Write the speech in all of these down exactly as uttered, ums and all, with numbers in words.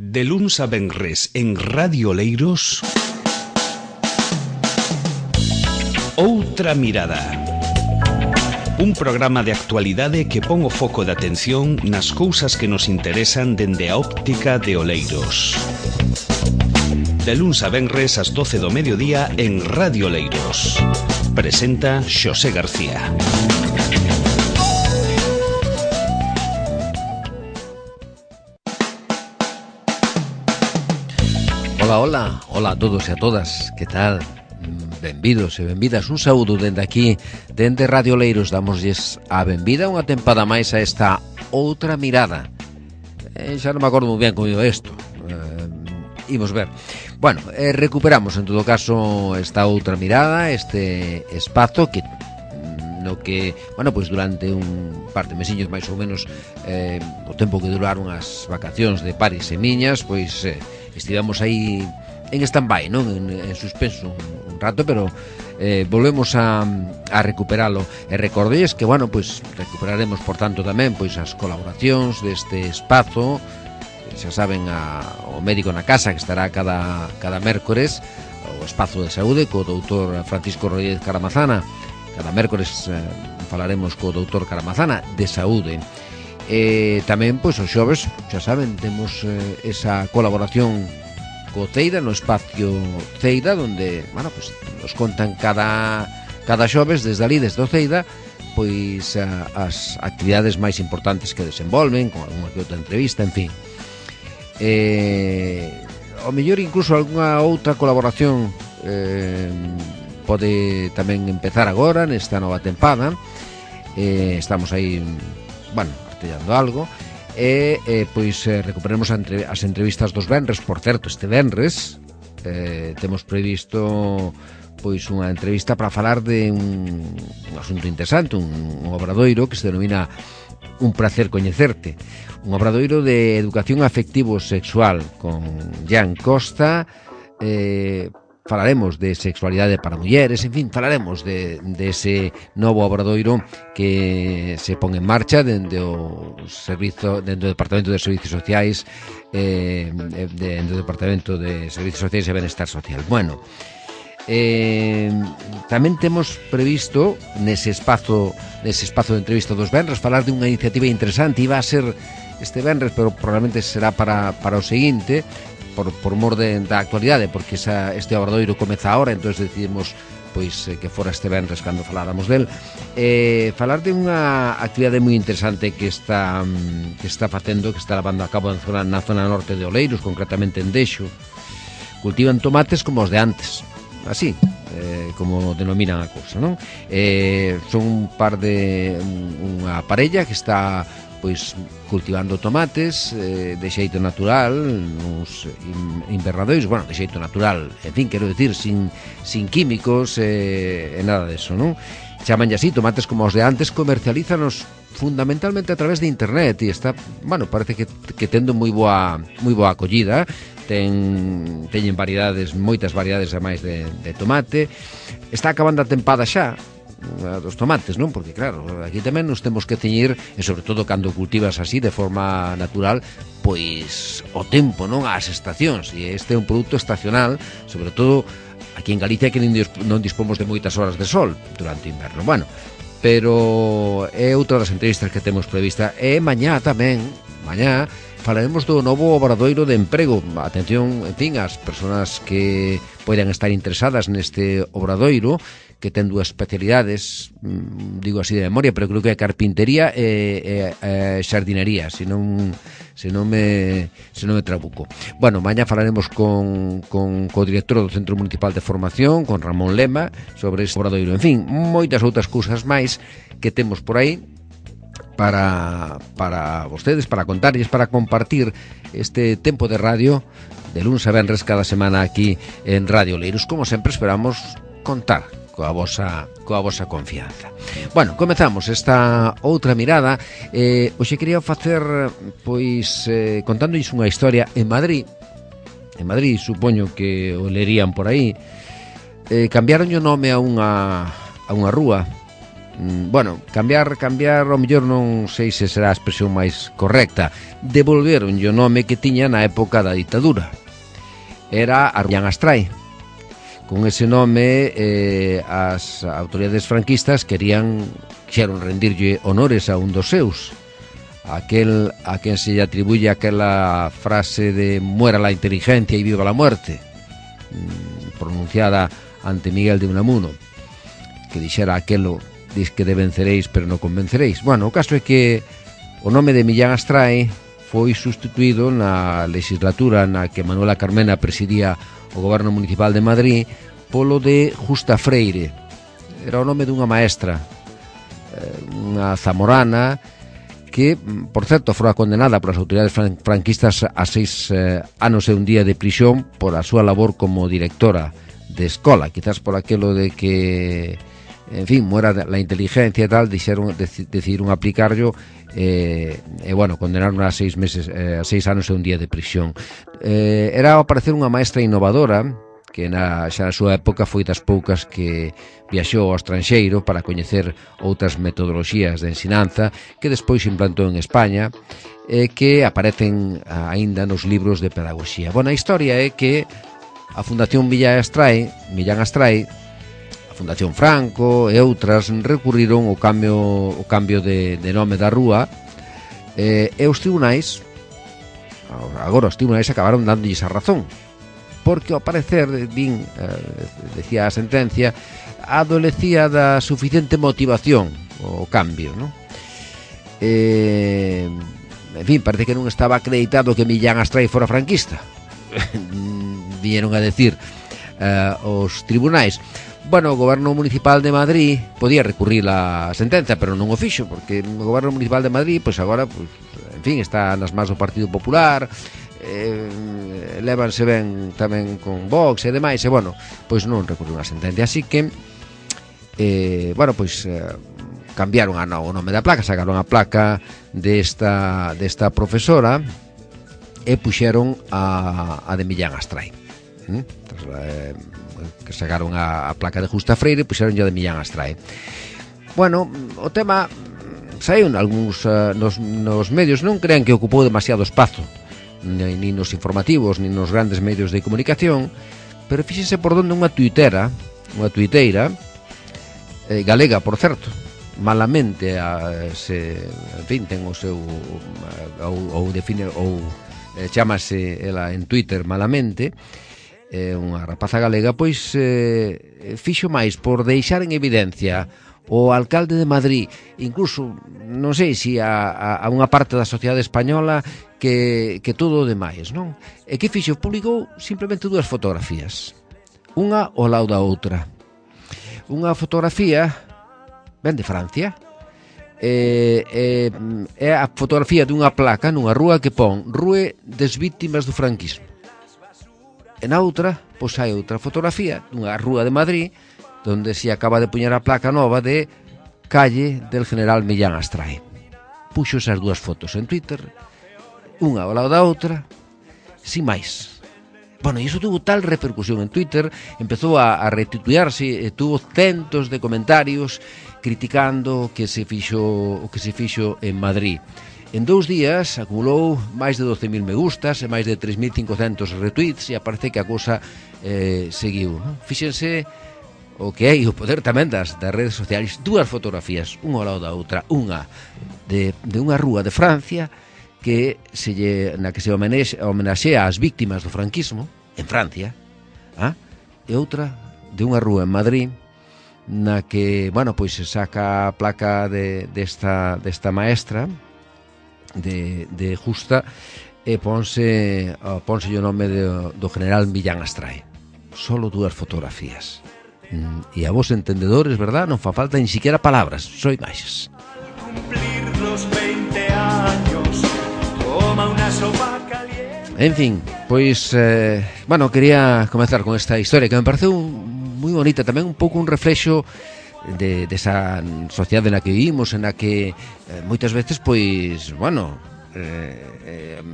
De luns a venres en Radio Oleiros, Outra Mirada. Un programa de actualidade que pon o foco de atención nas cousas que nos interesan dende a óptica de Oleiros. De luns a venres ás doce do mediodía en Radio Oleiros. Presenta Xosé García. Ola, ola, ola a todos e a todas, que tal? Benvidos e benvidas, un saúdo dende aquí, dende Radio Oleiros. Damosles a benvida unha tempada máis a esta Outra Mirada. eh, Xa non me acordo moi ben como digo isto, eh, imos ver. Bueno, eh, recuperamos en todo caso esta Outra Mirada, este espazo que no que, bueno, pois durante un par de mesiños máis ou menos, eh, o tempo que duraron as vacacións de pares e miñas, pois eh, estivemos aí en stand-by, non? En, en suspenso un, un rato, pero eh, volvemos a, a recuperalo. E recordéis que, bueno, pois recuperaremos, por tanto, tamén pois as colaboracións deste espazo. Xa saben, a, o médico na casa, que estará cada, cada mércores, o espazo de saúde co doutor Francisco Rodríguez Caramazana. Cada mércores eh, falaremos co doutor Caramazana de saúde. E tamén, pois, os xoves, xa saben, temos eh, esa colaboración co Ceida, no espacio Ceida, donde, bueno, pois, nos contan cada, cada xoves, desde ali, desde o Ceida, pois, a, as actividades máis importantes que desenvolven, con algunha que outra entrevista, en fin. Eh, ao mellor, incluso, algunha outra colaboración eh, pode tamén empezar agora, nesta nova tempada. Eh, estamos aí, bueno, artellando algo. E, eh, pois, eh, recuperemos entre, as entrevistas dos venres. Por certo, este venres eh, temos previsto pois unha entrevista para falar de un, un asunto interesante, un, un obradoiro que se denomina Un placer coñecerte, un obradoiro de educación afectivo-sexual con Jan Costa. eh, Falaremos de sexualidade para mulleres, en fin, falaremos de, de ese novo obradoiro que se pon en marcha dende o servizo, dentro do Departamento de Servicios Sociais, eh, dentro do Departamento de Servicios Sociais e Benestar Social. Bueno, eh, tamén temos previsto nese espazo, nese espazo de entrevista dos venres, falar de unha iniciativa interesante. Iba a ser este venres, pero probablemente será para, para o seguinte, por, por mor de, da actualidade, porque esa, este obradoiro comeza ahora, entón decidimos pois eh, que fora este venres cando faláramos del. Eh, falar de unha actividade moi interesante que está que está facendo, que está levando a cabo na zona, na zona norte de Oleiros, concretamente en Dexo. Cultivan tomates como os de antes, así, eh, como denominan a cousa, non? Eh, son un par de unha parella que está pois cultivando tomates eh, de xeito natural, nos invernadoiros, bueno, de xeito natural, en fin, quero decir, sin, sin químicos e eh, nada deso, non? Chamanlle así, tomates como os de antes, comercialízanos fundamentalmente a través de internet e está, bueno, parece que, que tendo moi boa moi boa acollida. Ten, teñen variedades, moitas variedades a máis de, de tomate. Está acabando a tempada xa dos tomates, non? Porque claro, aquí tamén nos temos que ceñir, e sobre todo cando cultivas así de forma natural, pois o tempo, non? As estacións, e este é un produto estacional, sobre todo aquí en Galicia, que non dispomos de moitas horas de sol durante o inverno. Bueno, pero é outra das entrevistas que temos prevista. E mañá tamén, mañá falaremos do novo obradoiro de emprego. Atención, en fin, as persoas que poidan estar interesadas neste obradoiro, que ten dúas especialidades, digo así de memoria, pero creo que é carpintería e, e, e xardinería, se non, se non me se non me trabuco. Bueno, mañá falaremos con, con co director do Centro Municipal de Formación, con Ramón Lema, sobre este obradoiro. En fin, moitas outras cousas máis que temos por aí para, para vostedes, para contarlles, para compartir este tempo de radio de luns a venres cada semana aquí en Radio Oleiros. Como sempre, esperamos contar coa vosa, coa vosa confianza. Bueno, comezamos esta outra mirada. eh, Hoxe quería facer, pois, eh, contándois unha historia en Madrid. En Madrid, supoño que o lerían por aí. eh, Cambiaron o nome a unha, a unha rúa bueno, cambiar, cambiar ao mellor non sei se será a expresión máis correcta. Devolveron o nome que tiña na época da ditadura. Era Millán Astray. Con ese nome eh, as autoridades franquistas querían quixeron rendirlle honores a un dos seus, aquel a quen se lle atribuye aquela frase de muera la inteligencia y viva la muerte, pronunciada ante Miguel de Unamuno, que dixera aquelo: dis que de venceréis pero non convenceréis. Bueno, o caso é que o nome de Millán Astray foi sustituído na legislatura na que Manuela Carmena presidía o goberno municipal de Madrid polo de Justa Freire. Era o nome dunha maestra, unha zamorana que, por certo, fora condenada polas autoridades franquistas a seis eh, anos e un día de prisión por a súa labor como directora de escola, quizás por aquelo de que, en fin, muera la inteligencia e tal, dixeron, decidiron aplicarlo e, eh, bueno, condenaron a seis meses, eh, a seis anos e un día de prisión. Eh, era ao parecer unha maestra innovadora, que na, xa na súa época foi das poucas que viaxou ao estranxeiro para coñecer outras metodoloxías de ensinanza que despois implantou en España e que aparecen aínda nos libros de pedagogía. Bueno, a historia é que a Fundación Millán Astray, Millán Astray, a Fundación Franco e outras recurriron ao cambio, o cambio de, de nome da rúa e, e os tribunais, agora os tribunais acabaron dándolles a razón, porque ao parecer, din, eh, decía a sentencia, adolecía da suficiente motivación o cambio, ¿no? Eh, en fin, parece que non estaba acreditado que Millán Astray fora franquista. Viñeron a decir eh, os tribunais. Bueno, o goberno municipal de Madrid podía recurrir a sentencia, pero non o fixo, porque o goberno municipal de Madrid, pois agora, pois, en fin, está nas mans do Partido Popular, eh, lévanse ben tamén con Vox e demais, e bueno, pois non recurriu a sentencia, así que eh, bueno, pois eh, cambiaron a no, o nome da placa, sacaron a placa desta, desta profesora e puxeron a, a de Millán Astray, ¿Mm? Entonces, eh, que sacaron a, a placa de Justa Freire e puxeron a de Millán Astray. Bueno, o tema saiu en algúns uh, nos, nos medios, non crean que ocupou demasiado espazo, ni, ni nos informativos, ni nos grandes medios de comunicación, pero fíxense por donde unha tuitera, unha tuiteira, eh, galega, por certo, malamente, a, se, en fin, ten o seu, ou, ou define, ou eh, chamase ela en Twitter malamente, eh, unha rapaza galega, pois eh, fixo máis por deixar en evidencia o alcalde de Madrid, incluso, non sei se a, a, a unha parte da sociedade española que, que todo o demais, non? E que fixo? Publicou simplemente dúas fotografías, unha ao lado da outra. Unha fotografía ben de Francia, é, é, é a fotografía dunha placa nunha rúa que pon Rue des Víctimas do Franquismo. E na outra, pois hai outra fotografía dunha rúa de Madrid donde se acaba de poñer a placa nova de Calle del General Millán Astray. Puxo esas dúas fotos en Twitter, unha ao lado da outra, sin máis. Bueno, e iso tuvo tal repercusión en Twitter, empezou a, a retuitearse, e tuvo centos de comentarios criticando o que se fixo, o que se fixo en Madrid. En dous días acumulou máis de doce mil me gustas e máis de tres mil cincocentos retweets, e aparece que a cousa eh, seguiu. Fíxense o que hai, o poder tamén das, das redes sociais. Dúas fotografías, unha ao lado da outra, unha de, de unha rúa de Francia que se lle, na que se homenaxea ás víctimas do franquismo en Francia, ah? E outra de unha rúa en Madrid na que, bueno, pois se saca a placa de, desta, desta maestra de, de Justa e ponse, ponse o nome de, do general Millán Astray. Solo dúas fotografías. E a vos entendedores, verdad, non fa falta ni siquiera palabras, só imaxes. En fin, pois eh, bueno, quería comenzar con esta historia que me pareceu moi bonita, tamén un pouco un reflexo de, de esa sociedade na que vivimos, en a que eh, moitas veces, pois, bueno, eh, eh,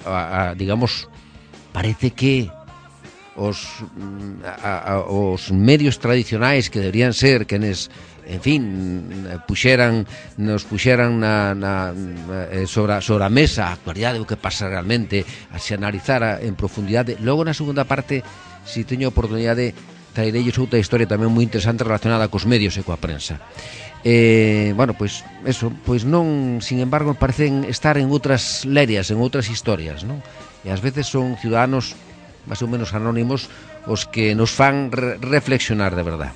a, a, digamos, parece que os, a, a, os medios tradicionais que deberían ser quenes, en fin, puxeran, nos puxeran na, na, sobre, a, sobre a mesa a actualidade, o que pasa realmente, a se analizara en profundidade. Logo na segunda parte, si teño a oportunidade, trairellos outra historia tamén moi interesante relacionada cos medios e coa prensa. Eh, bueno, pois eso, pois non, sin embargo, parecen estar en outras lerias, en outras historias, non? E ás veces son ciudadanos máis ou menos anónimos os que nos fan re reflexionar de verdad.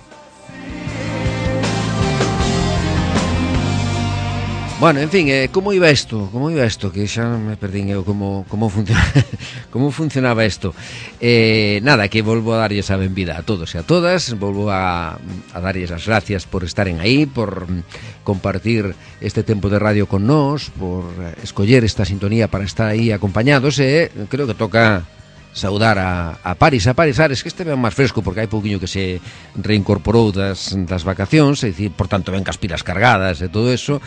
Bueno, en fin, eh, como iba isto? Como iba isto? Que xa me perdín eu como, como, funciona, como funcionaba isto. Eh, nada, que volvo a darlles a benvida a todos e a todas. Volvo a, a darlles as gracias por estaren aí, por compartir este tempo de radio con nós, por escoller esta sintonía para estar aí acompañados. E eh, creo que toca saudar a, a Paris, a Paris Ares, que este ben máis fresco porque hai pouquiño que se reincorporou das, das vacacións, e dicir, por tanto, ven cas pilas cargadas e todo eso.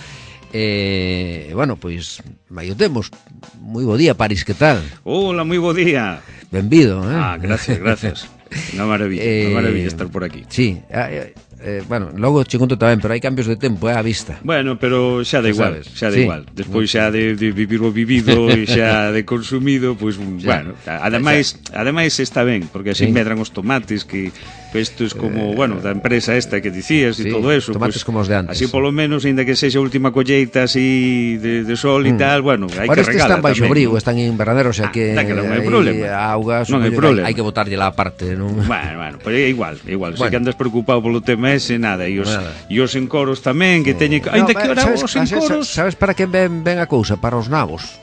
Eh, bueno, pois aí o temos. Moi bo día, Paris, que tal? Hola, moi bo día. Benvido, eh? Ah, gracias, gracias. Unha maravilla, eh, unha maravilla estar por aquí. Sí, eh, eh, bueno, logo che conto tamén, pero hai cambios de tempo, é eh, a vista. Bueno, pero xa da igual, xa da sí. igual. Despois xa de, de vivir o vivido e xa de consumido, pois, pues, bueno, ademais, ademais está ben, porque así sí. medran os tomates que estos como, eh, bueno, da empresa esta que dicías e sí, todo eso, tomates pues, como os de antes. Así polo menos, ainda que sexa a última colleita así de, de sol e mm. tal, bueno, hai ahora que regalar. Ahora están baixo abrigo, están en invernadero, o sea que ah, que non hai problema. Auga, non hai problema. Hai que botarlle lá aparte, non? Bueno, bueno, pero é igual, é igual. Bueno. Se que andas preocupado polo tema ese, nada, e os, e os encoros tamén, que teñen... No, ainda que ahora sabes, os encoros... Sabes para que ven, ven a cousa? Para os nabos.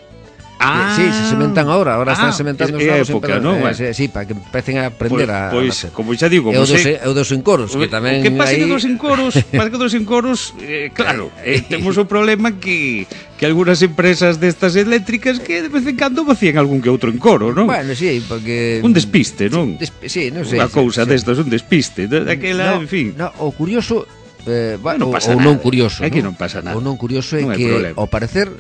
Ah, sí, se sementan ahora, ahora están ah, sementando os nabos época, non? Eh, sí, para que empecen a aprender a Pois, pues, como xa digo, eu dos, eu dos encoros, que tamén o que pasa aí... que dos encoros, pasa que dos encoros, eh, claro, eh, temos o problema que que algunhas empresas destas eléctricas que de vez en cando vacían algún que outro encoro, non? Bueno, sí, porque un despiste, non? Desp sí, non sei. Unha cousa sí, destas, un despiste, daquela, no, en fin. No, o curioso eh, bueno, non pasa ou non curioso, é que non pasa nada. O non curioso é non que problema. ao parecer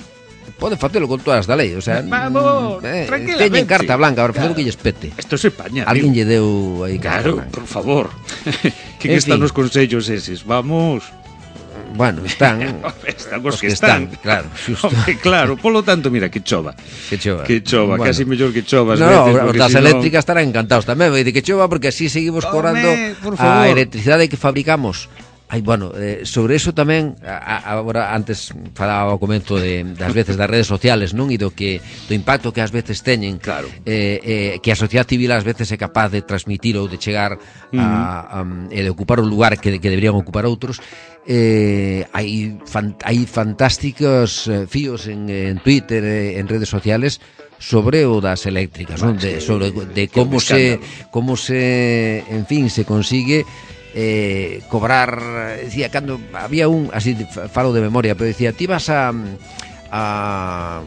pode facelo con todas da lei, o sea, vamos, eh, tranquilamente. Teñen carta blanca, ahora facer o que lles pete. Isto se paña. Alguén lle deu aí claro, por favor. Que que están os consellos eses? Vamos. Bueno, están están os que, que están, están, claro, xusto. Hombre, claro, polo tanto, mira, que chova. Que chova. Que chova, bueno. Casi mellor que chova. No, no, os das eléctricas estarán encantados tamén, vai de que chova porque así seguimos cobrando a electricidade que fabricamos. Ai, bueno, eh, sobre eso tamén a, agora antes falaba ao comento de das veces das redes sociales, non, e do que do impacto que ás veces teñen, claro. eh, eh, que a sociedade civil ás veces é capaz de transmitir ou de chegar uh-huh. a, a, e de ocupar un lugar que, que deberían ocupar outros. Eh, hai fan, hai fantásticos eh, fíos en, en Twitter, eh, en redes sociales sobre o das eléctricas, non? De, sobre de como se como se, en fin, se consigue eh, cobrar, decía, cando había un, así falo de memoria, pero decía, ti vas a a,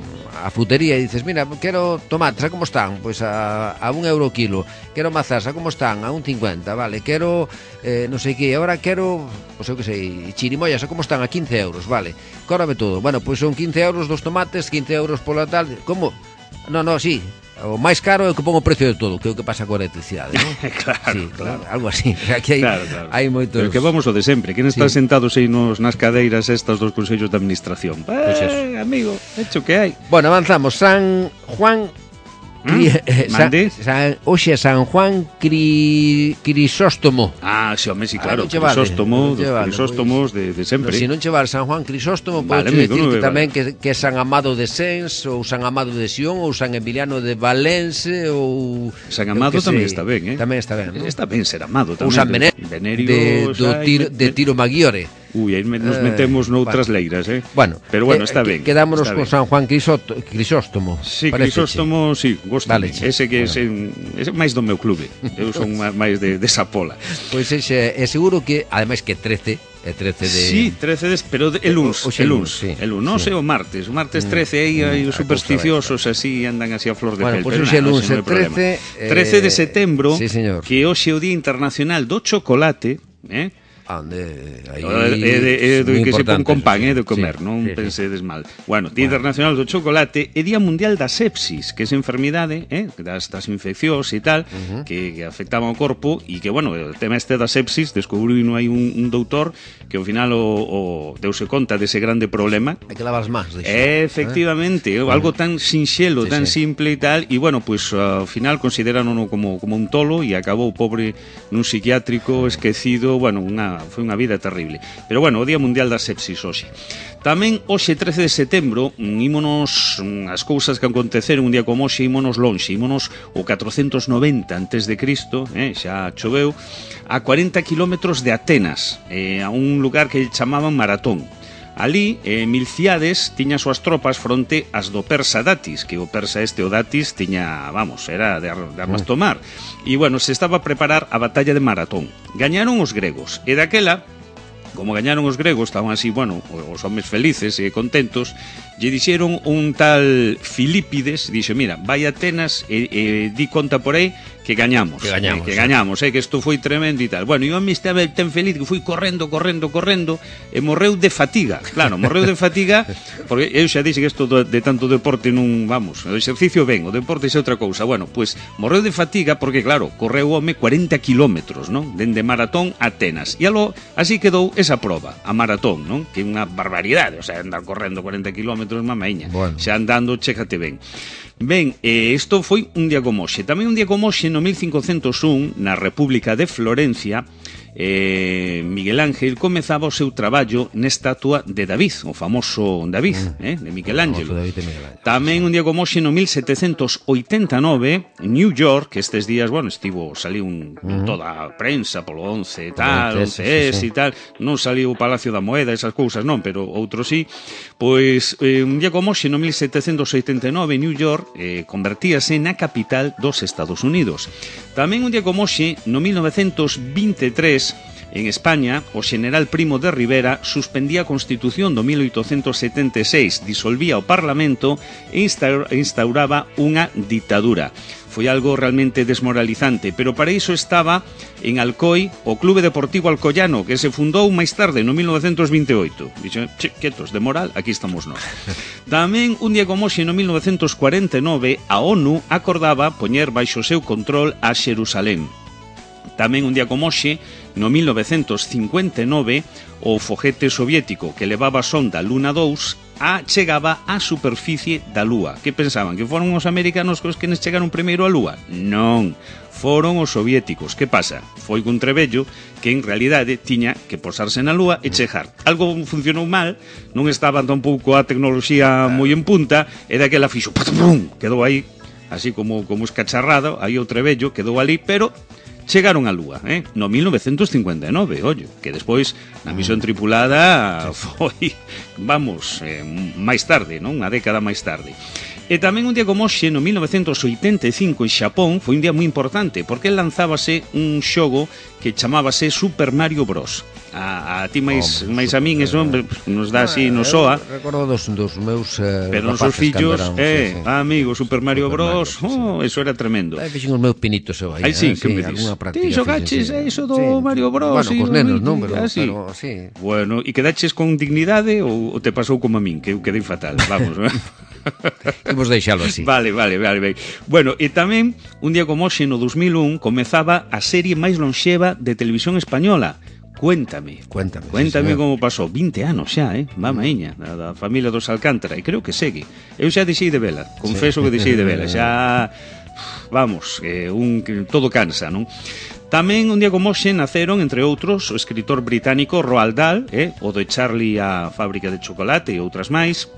a frutería e dices, mira, quero tomates, a como están? Pois a, a un euro kilo. Quero mazás, a como están? A un cincuenta, vale. Quero, eh, non sei que, agora quero, pois eu que sei, chirimoyas, a como están? A quince euros, vale. Cóbrame todo. Bueno, pois son quince euros dos tomates, quince euros pola tal. Como? No, no, sí. O máis caro é o que pongo o precio de todo, que é o que pasa coa electricidade, non? Claro, sí, claro. Algo así. Aquí hai, claro, claro. hai moitos... Pero que vamos o de sempre, quen está sí. sentados aí nos, nas cadeiras estas dos consellos de administración? Pois eh, amigo, hecho que hai. Bueno, avanzamos. San Juan... Cri, ¿Mm? eh, San, San, oxe, San Juan Cri, Crisóstomo. Ah, sí, home, sí, claro, ah, no Crisóstomo, dos vale, Crisóstomos pues, de, de sempre. No, se non chevar San Juan Crisóstomo, vale, pode dicir que tamén vale. que, que San Amado de Sens, ou San Amado de Sion, ou San Emiliano de Valense, ou... San Amado tamén está ben, eh? Tamén está ben, ¿no? Está ben ser amado tamén. Ou San Venerio, de, do tiro, de Tiro Maggiore. Ui, aí nos metemos noutras bueno. leiras, eh? Bueno, pero bueno, está eh, ben. Quedámonos está con ben. San Juan Crisóstomo. Crisóstomo sí, Crisóstomo, sí, gosto. Vale, ese que bueno. é máis do meu clube. Eu son máis de, de esa pola. Pois pues ese, é seguro que, ademais que trece, é trece de... Sí, trece de... pero de, el luns, o, o el luns, sí, el luns, non sí. sei o martes, o martes trece aí hai os supersticiosos así, andan así a flor de bueno, pel. Bueno, pois pues el luns, el trece... trece de setembro, sí, señor. que hoxe é o Día Internacional do Chocolate, eh? Ande, aí é do que se pon con pan, é de comer, non pensedes mal. Bueno, Día Internacional do Chocolate e Día Mundial da Sepsis, que é esa enfermidade, eh, das, das infeccións e tal, uh-huh. que, que afectaban ao corpo e que, bueno, o tema este da sepsis, descubriu hai un, un doutor que ao final o, o deuse conta dese grande problema. Hai que lavar as mans, dixo. Efectivamente, eh? algo tan sinxelo, sí, tan sí. simple e tal, e, bueno, pois, pues, ao final considerarono como, como un tolo e acabou pobre nun psiquiátrico esquecido, bueno, unha foi unha vida terrible. Pero, bueno, o Día Mundial da Sepsis hoxe. Tamén hoxe trece de setembro ímonos as cousas que aconteceron un día como hoxe, ímonos lonxe, ímonos o catrocentos noventa antes de Cristo, eh, xa choveu, a cuarenta kilómetros de Atenas, eh, a un lugar que chamaban Maratón. Ali, eh, Milciades tiña as súas tropas fronte ás do persa Datis, que o persa este, o Datis, tiña, vamos, era de, ar, de armas tomar. E, bueno, se estaba a preparar a batalla de Maratón. Gañaron os gregos, e daquela, como gañaron os gregos, estaban así, bueno, os homes felices e contentos, lle dixeron un tal Filípides, dixo, mira, vai a Atenas e, e di conta por aí que gañamos, que gañamos, eh, que gañamos, eh, que isto foi tremendo e tal. Bueno, e o home estaba tan feliz que foi correndo, correndo, correndo e morreu de fatiga. Claro, morreu de fatiga porque eu xa dixen que isto de tanto deporte non, vamos, o exercicio ben, o deporte é outra cousa. Bueno, pois pues, morreu de fatiga porque, claro, correu o home cuarenta kilómetros, non? Dende Maratón a Atenas. E alo, así quedou esa proba, a Maratón, non? Que é unha barbaridade, o sea, andar correndo cuarenta kilómetros, mamaíña. Bueno. Xa andando, chéjate ben. Ben, eh, isto foi un día como hoxe. Tamén un día como hoxe, no mil cincocentos un, na República de Florencia, eh, Miguel Ángel comezaba o seu traballo nesta estatua de David, o famoso David, eh, de Miguel Ángel. Tamén un día como hoxe, no mil setecentos oitenta e nove, New York, que estes días, bueno, estivo, saliu un, uh-huh. toda a prensa polo once e tal, once ese e tal, non saliu o Palacio da Moeda, esas cousas non, pero outros sí. Pois, eh, un día como hoxe, no mil setecentos oitenta e nove, New York eh, convertíase na capital dos Estados Unidos. Tamén un día como hoxe, no mil novecentos vinte e tres, en España, o xeneral Primo de Rivera suspendía a Constitución do mil oitocentos setenta e seis, disolvía o Parlamento e instauraba unha ditadura. Foi algo realmente desmoralizante, pero para iso estaba en Alcoi o Clube Deportivo Alcoyano, que se fundou máis tarde, no mil novecentos vinte e oito. Dixo, che, quietos, de moral, aquí estamos nós. Tamén, un día como hoxe, no mil novecentos cuarenta e nove, a ONU acordaba poñer baixo o seu control a Xerusalén. Tamén un día como hoxe, no mil novecentos cincuenta e nove, o foguete soviético que levaba a sonda Luna dous a chegaba á superficie da Lúa. Que pensaban? Que foron os americanos os que nos chegaron primeiro á Lúa? Non, foron os soviéticos. Que pasa? Foi un trebello que en realidade tiña que posarse na Lúa e chegar. Algo funcionou mal, non estaba tampouco a tecnoloxía moi en punta, e daquela fixo, pum, quedou aí, así como, como escacharrado, aí o trebello quedou ali, pero chegaron á Lúa, eh? No mil novecentos cincuenta e nove, ollo, que despois na misión tripulada foi, vamos, eh, máis tarde, non? Unha década máis tarde. E tamén un día como hoxe, no mil novecentos oitenta e cinco, en Xapón, foi un día moi importante, porque lanzábase un xogo que chamábase Super Mario Bros. A, a ti máis, oh, máis a min eso nos dá así, nos soa. Recordo dos, dos meus eh, pero nos seus fillos, eh, sí, sí. Amigo, Super Mario Super Bros, Mario, oh, sí, eso era tremendo. Aí fixen os meus pinitos eu aí. Aí sí, eh, que sí, me dis? Ti xogaches sí, iso do sí. Mario Bros. Bueno, cos nenos, non, pero, así. pero sí. Bueno, e quedaches con dignidade ou, ou te pasou como a min, que eu quedei fatal, vamos. Imos deixalo así. Vale, vale, vale, vale. Bueno, e tamén un día como hoxe, no dos mil un, comezaba a serie máis lonxeva de televisión española, Cuéntame. Cuéntame. Cuéntame sí, como pasou. vinte anos xa, eh? Mamaíña, da, da familia dos Alcántara. E creo que segue. Eu xa deixei de vela. Confeso sí. que deixei de vela. Xa, vamos, eh, un, todo cansa, non? Tamén un día como hoxe naceron, entre outros, o escritor británico Roald Dahl, eh? O de Charlie a fábrica de chocolate e outras máis.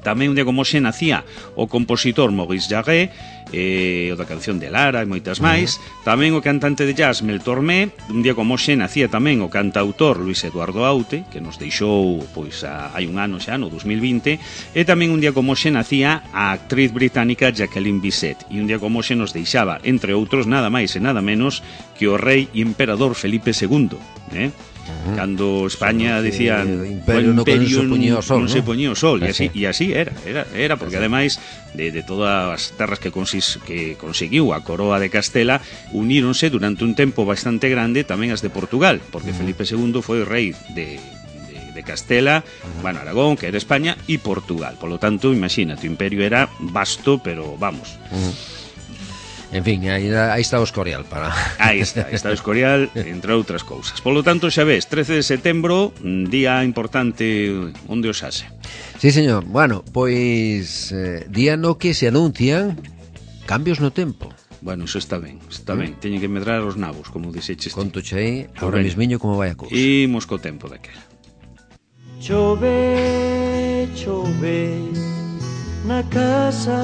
Tamén un día como hoxe nacía o compositor Maurice Jarre, eh, o da canción de Lara e moitas máis. Uh-huh. Tamén o cantante de jazz Mel Tormé. Un día como hoxe nacía tamén o cantautor Luis Eduardo Aute, que nos deixou pois a, hai un ano xa, no dos mil vinte. E tamén un día como hoxe nacía a actriz británica Jacqueline Bisset. E un día como hoxe nos deixaba, entre outros, nada máis e nada menos que o rei e emperador Felipe segundo, eh? Uh-huh. Cando España Solo dicían o imperio, no imperio non se poñía o sol, non se ¿no? poñía o sol, e así, Así. e así era, era, era porque ademais de, de todas as terras que, consis, que conseguiu a coroa de Castela, uníronse durante un tempo bastante grande tamén as de Portugal, porque uh-huh. Felipe segundo foi rei de de Castela, uh-huh. bueno, Aragón, que era España, e Portugal. Por lo tanto, imagínate, o imperio era vasto, pero vamos. Uh-huh. En fin, aí, aí está o Escorial para... Aí está, aí está o Escorial, entre outras cousas. Por lo tanto, xa ves, trece de setembro, día importante onde os hace. Sí, señor. Bueno, pois eh, día no que se anuncian cambios no tempo. Bueno, eso está ben, está ben. Teñen que medrar os nabos, como dixeches. Conto che aí, ahora mismiño como vai a cousa. Imos co tempo daquela. Chove, chove na casa.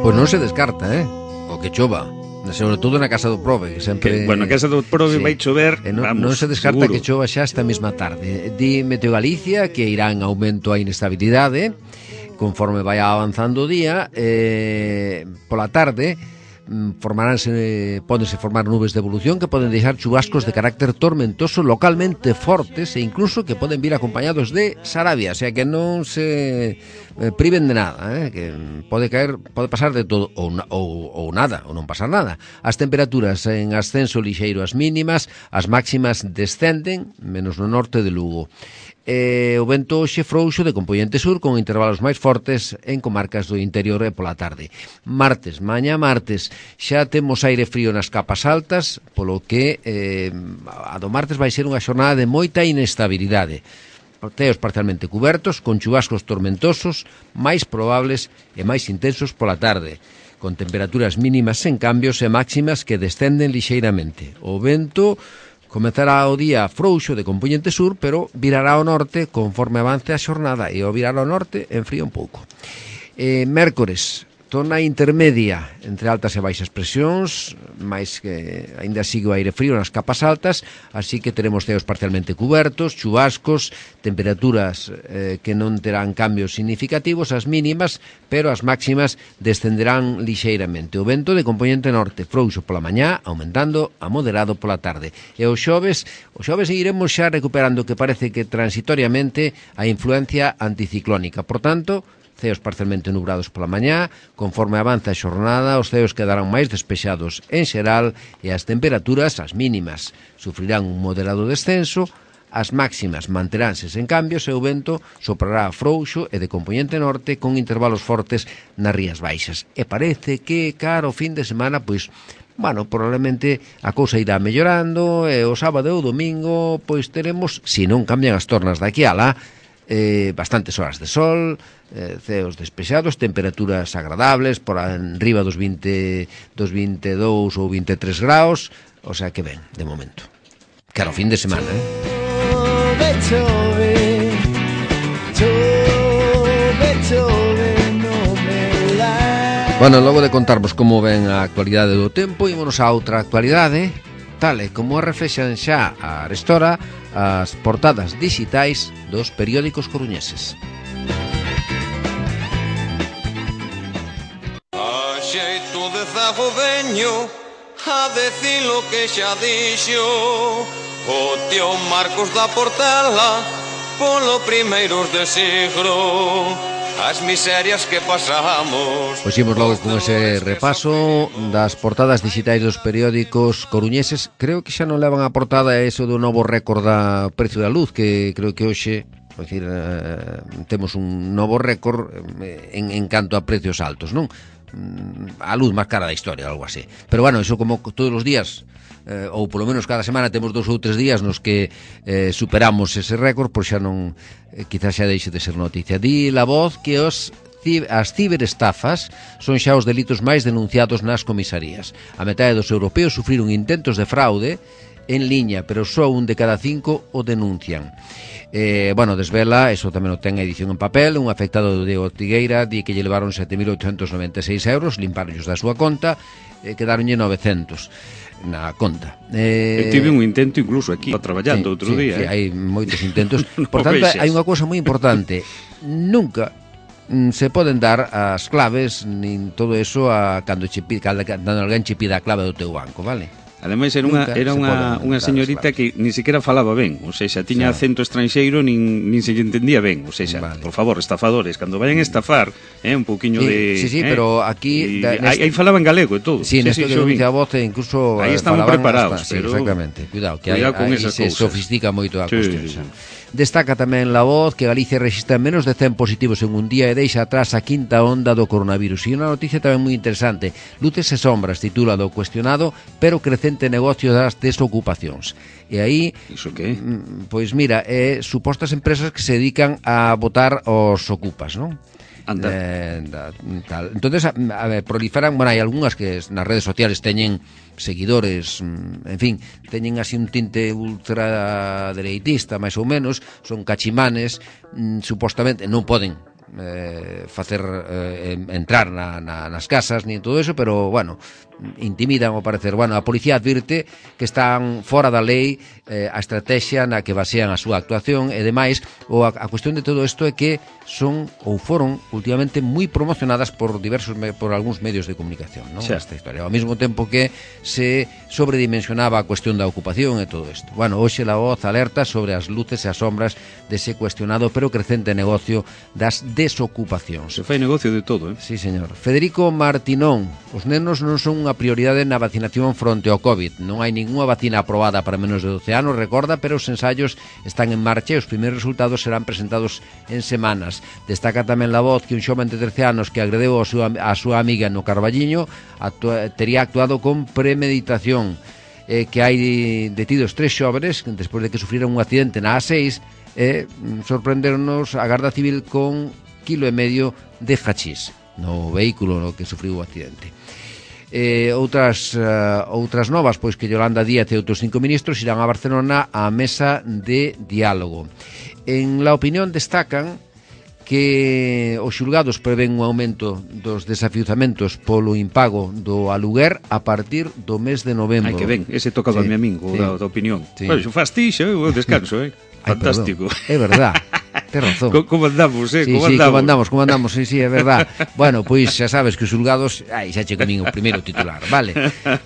Pois non se descarta, eh? O que chova, sobre todo na casa do Prove, que sempre... Que, bueno, na casa do Prove sí. vai chover, eh, non, vamos, non se descarta seguro. Que chova xa esta mesma tarde. Di Meteo Galicia que irá en aumento a inestabilidade conforme vai avanzando o día, eh, pola tarde formaránse, pódense formar nubes de evolución que poden deixar chubascos de carácter tormentoso localmente fortes e incluso que poden vir acompañados de sarabia, o sea que non se eh, priven de nada, eh, que pode caer, pode pasar de todo ou, ou, ou nada, ou non pasar nada. As temperaturas en ascenso lixeiro as mínimas, as máximas descenden, menos no norte de Lugo. Eh, o vento hoxe frouxo de compoñente sur con intervalos máis fortes en comarcas do interior e pola tarde. Martes, mañá martes, xa temos aire frío nas capas altas, polo que eh, a do martes vai ser unha xornada de moita inestabilidade. Teos parcialmente cubertos, con chubascos tormentosos, máis probables e máis intensos pola tarde, con temperaturas mínimas sen cambios e máximas que descenden lixeiramente. O vento comezará o día frouxo de compoñente sur, pero virará ao norte conforme avance a xornada, e ao virar ao norte enfría un pouco. Eh, mércores, zona intermedia entre altas e baixas presións, máis que aínda sigue o aire frío nas capas altas, así que teremos ceos parcialmente cubertos, chubascos, temperaturas eh, que non terán cambios significativos, as mínimas, pero as máximas descenderán lixeiramente. O vento de compoñente norte, frouxo pola mañá, aumentando a moderado pola tarde. E os xoves, os xoves iremos xa recuperando, que parece que transitoriamente, a influencia anticiclónica. Por tanto, ceos parcialmente nubrados pola mañá, conforme avanza a xornada, os ceos quedarán máis despexados en xeral e as temperaturas, as mínimas, sufrirán un moderado descenso, as máximas manteránse sen cambios e o vento soprará frouxo e de compoñente norte con intervalos fortes nas rías baixas. E parece que, cara o fin de semana, pois, bueno, probablemente a cousa irá mellorando e o sábado e o domingo, pois teremos, se non cambian as tornas daqui a lá, eh, bastantes horas de sol, eh, ceos despexados, temperaturas agradables por arriba dos vinte, dos veintidós ou veintitrés graus, o sea que ben, de momento. Claro, fin de semana, eh? Chove, chove, chove, no me la... Bueno, logo de contarvos como ven a actualidade do tempo, ímonos a outra actualidade, tal e como reflexan xa a arestora as portadas digitais dos periódicos coruñeses. A xeito de zago veño a decir lo que xa dixo o tío Marcos da Portela polo primeiros de siglo, as miserias que pasamos. Pois imos logo con ese repaso das portadas digitais dos periódicos coruñeses. Creo que xa non levan a portada eso do novo récord da precio da luz, que creo que hoxe, é dicir, eh, temos un novo récord en, en canto a precios altos, non? A luz máis cara da historia, algo así. Pero bueno, eso como todos os días, eh, ou polo menos cada semana temos dous ou tres días nos que eh, superamos ese récord, por xa non, eh, quizás xa deixe de ser noticia. Di La Voz que os as ciberestafas son xa os delitos máis denunciados nas comisarías. A metade dos europeos sufriron intentos de fraude en liña, pero só un de cada cinco o denuncian. Eh, bueno, desvela, eso tamén o ten a edición en papel, un afectado de Ortigueira di que lle levaron sete mil oitocentos noventa e seis euros, limparonllos da súa conta, e eh, quedaronlle novecentos na conta. Eh, Eu tive un intento incluso aquí, traballando sí, outro sí, día. Sí, eh. hai moitos intentos. No Por tanto, vexas. hai unha cousa moi importante. Nunca mm, se poden dar as claves nin todo eso a cando che pide, cando alguén che pida a clave do teu banco, vale? Ademais era unha, Nunca era se unha, poden unha dar señorita as que ni siquiera falaba ben, ou seja, tiña Sí. acento estranxeiro, nin, nin se lle entendía ben, ou seja, Vale. por favor, estafadores, cando vayan a estafar, eh, un pouquiño Sí, de... sí, sí, eh, pero aquí, y, da- aí, neste- aí falaba en galego e todo. Sí, nesto que xo vi. denuncia a voz e incluso Aí eh, estamos falaban preparados, hasta, pero- sí, exactamente. Cuidado, que Cuidado aí, con aí esas se cousas. sofistica moito a Sí, cuestión. sí, xa. sí. Destaca tamén La Voz que Galicia registra menos de cen positivos en un día e deixa atrás a quinta onda do coronavirus. E unha noticia tamén moi interesante. Luces e sombras titula do cuestionado, pero crecente negocio das desocupacións. E aí, Iso que? mm, pois mira, é supostas empresas que se dedican a botar os ocupas, non? Anda. Eh, da, tal. Entonces, a, a ver, proliferan, bueno, hai algunhas que nas redes sociales teñen seguidores, mm, en fin, teñen así un tinte ultradereitista, máis ou menos, son cachimanes, mm, supostamente non poden eh, facer eh, entrar na, na, nas casas ni todo eso, pero bueno, intimidan ao parecer. Bueno, a policía advirte que están fora da lei eh, a estrategia na que basean a súa actuación e demais, ou a, a cuestión de todo isto é que son ou foron últimamente moi promocionadas por diversos me, por algúns medios de comunicación, non? Xa. Esta historia, ao mesmo tempo que se sobredimensionaba a cuestión da ocupación e todo isto. Bueno, hoxe La Voz alerta sobre as luces e as sombras dese cuestionado pero crecente negocio das desocupacións. Se fai negocio de todo, eh? Sí, señor. Federico Martinón, os nenos non son unha prioridade na vacinación fronte ao COVID. Non hai ninguna vacina aprobada para menos de doce anos, recorda, pero os ensaios están en marcha e os primeiros resultados serán presentados en semanas. Destaca tamén La Voz que un xoven de trece anos que agredeu a súa, a súa amiga no Carballiño actua, tería actuado con premeditación. Eh, que hai detidos tres xóvenes despois de que sufriran un accidente na A seis e eh, sorprendernos a Garda Civil con quilo e medio de hachís no vehículo no que sufriu o accidente. Eh, outras uh, outras novas, pois que Yolanda Díaz e outros cinco ministros irán a Barcelona á mesa de diálogo. En La Opinión destacan que os xulgados prevén un aumento dos desafiuzamentos polo impago do aluguer a partir do mes de novembro. Ai, que ben, ese tocaba Sí, a mi amigo, sí. da, da opinión. Sí. Bueno, xo faz ti, xa, eu descanso, eh? Ai, Fantástico. perdón. É verdad. Ten razón. Co- Como andamos, eh? Sí, Como sí, andamos? como andamos, como andamos, sí, sí, é verdad. Bueno, pois xa sabes que os xulgados, ai, xa che comín o primeiro titular, vale.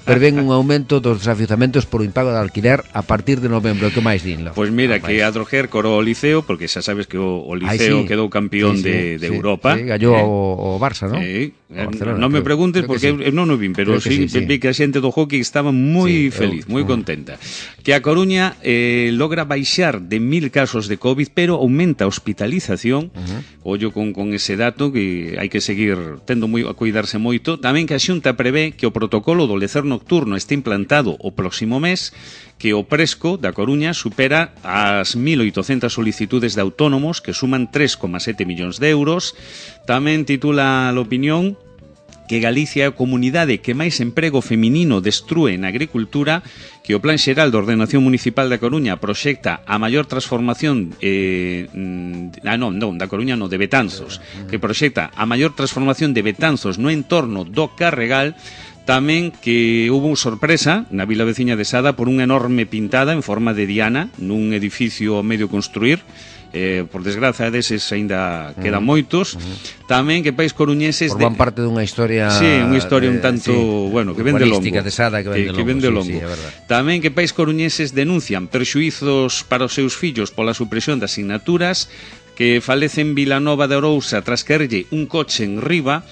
Prevén un aumento dos desafiuzamentos por o impago de alquiler a partir de novembro, que máis dinlo? Pois mira, que a Droguer corou o Liceo, porque xa sabes que o, o Liceo Ai, sí. quedou campeón Sí, sí, de, de sí, Europa. Sí, gallou eh? o, o Barça, non? Eh, O Barcelona, non me creo- preguntes creo que porque sí. eu non o vin, pero Creo que sí, sí, sí. vi que a xente do hockey estaba moi Sí, feliz, eu- moi mm. contenta. Que a Coruña eh, logra baixar de mil casos de COVID, pero aumenta a hospitalización. Uh-huh. Ollo con, con ese dato que hai que seguir tendo moi, a cuidarse moito. Tamén que a Xunta prevé que o protocolo do lecer nocturno este implantado o próximo mes, que o Presco da Coruña supera as mil oitocentas solicitudes de autónomos que suman tres coma sete millóns de euros. Tamén titula a Opinión que Galicia é a comunidade que máis emprego feminino destrúe na agricultura, que o Plan Xeral de Ordenación Municipal da Coruña proxecta a maior transformación eh, ah, non, non, da Coruña non, de Betanzos, que proxecta a maior transformación de Betanzos no entorno do Carregal. Tamén que hubo unha sorpresa na vila veciña de Sada por unha enorme pintada en forma de diana nun edificio a medio construir. Eh, por desgraza deses aínda quedan uh -huh. moitos. Uh -huh. Tamén que pais coruñeses forman de... parte dunha historia. Sí, unha historia un tanto, sí, bueno, que vende longo. De Sada que vende que, que vende longo. Sí, sí, é verdad. Tamén que pais coruñeses denuncian perxuízos para os seus fillos pola supresión das asignaturas, que falece en Vilanova de Arousa tras caerlle un coche en riba.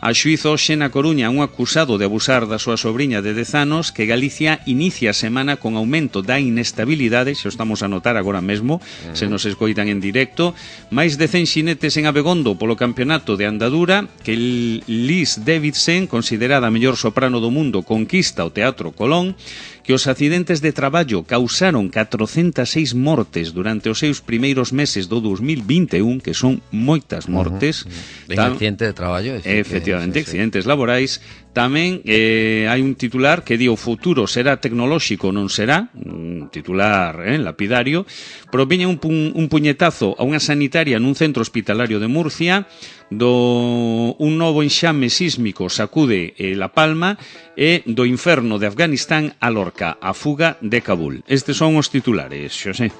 A xuízo hoxe na Coruña un acusado de abusar da súa sobriña de dez anos, que Galicia inicia a semana con aumento da inestabilidade, xa estamos a notar agora mesmo, uh-huh. se nos escoitan en directo, máis de cen xinetes en Abegondo polo campeonato de andadura, que Liz Davidson, considerada a mellor soprano do mundo, conquista o Teatro Colón, que os accidentes de traballo causaron catrocentas e seis mortes durante os seus primeiros meses do dos mil vinte e un, que son moitas mortes. Uh -huh. Ben, accidente de traballo. Efectivamente, que, sí, accidentes sí. laborais. Tamén eh, hai un titular que di o futuro será tecnolóxico, non será, un titular eh, lapidario. Proviña un, pu un puñetazo a unha sanitaria nun centro hospitalario de Murcia, do un novo enxame sísmico sacude eh, La Palma, e do inferno de Afganistán a Lorca, a fuga de Kabul. Estes son os titulares, Xosé.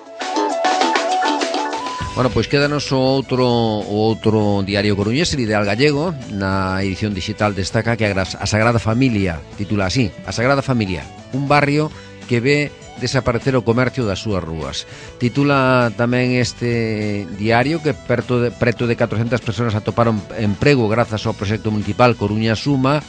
Bueno, pois quédanos o outro o outro diario coruñés, el Ideal Gallego. Na edición digital destaca que a Sagrada Familia, titula así, a Sagrada Familia, un barrio que ve desaparecer o comercio das súas rúas. Titula tamén este diario que perto de, preto de catrocentas persoas atoparon emprego grazas ao proxecto municipal Coruña Suma,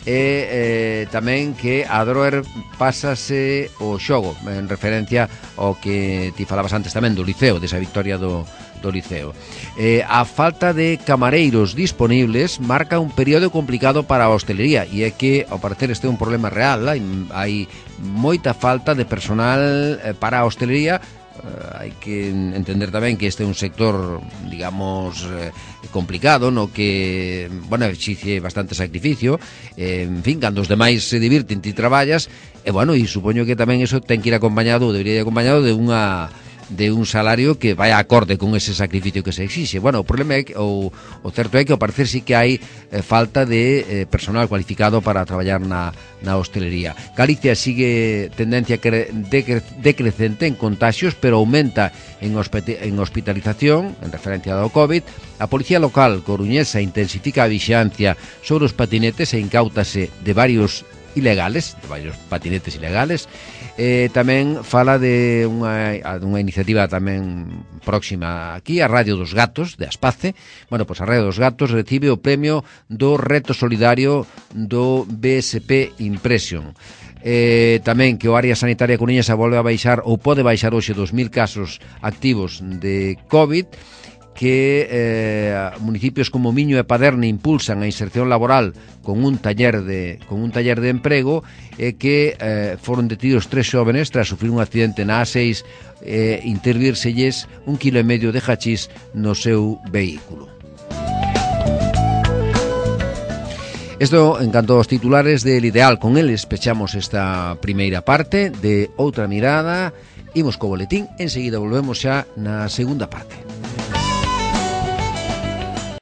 e eh, tamén que a Droer pásase o xogo, en referencia ao que ti falabas antes tamén do Liceo, desa victoria do do Liceo. Eh, a falta de camareiros disponibles marca un período complicado para a hostelería, e é que, ao parecer, este é un problema real. Hai, hai moita falta de personal eh, para a hostelería. Uh, hai que entender tamén que este é un sector, digamos, eh, complicado, no que, bueno, exixe bastante sacrificio, eh, en fin, cando os demais se divirten ti traballas, e, bueno, e supoño que tamén eso ten que ir acompañado, debería ir acompañado de unha de un salario que vai acorde con ese sacrificio que se exixe. Bueno, o problema é que, o, o certo é que ao parecer sí que hai eh, falta de eh, personal cualificado para traballar na, na hostelería. Galicia sigue tendencia cre, decre, decrecente en contagios, pero aumenta en, hospite, en hospitalización, en referencia ao COVID. A Policía Local coruñesa intensifica a vixilancia sobre os patinetes e incautase de varios ilegales, de varios patinetes ilegales. Eh, tamén fala de unha, unha iniciativa tamén próxima aquí, a Radio dos Gatos de Aspace. Bueno, pois a Radio dos Gatos recibe o premio do Reto Solidario do B S P Impression. Eh, tamén que o área sanitaria coruñesa volve a baixar, ou pode baixar hoxe dos mil casos activos de COVID, que eh, municipios como Miño e Paderne impulsan a inserción laboral con un taller de con un taller de emprego, e que eh, foron detidos tres xóvenes tras sufrir un accidente na A seis, e eh, intervírselles un quilo e medio de hachís no seu vehículo. Isto en canto aos titulares del Ideal. Con eles pechamos esta primeira parte de Outra Mirada. Imos co boletín, enseguida volvemos xa na segunda parte.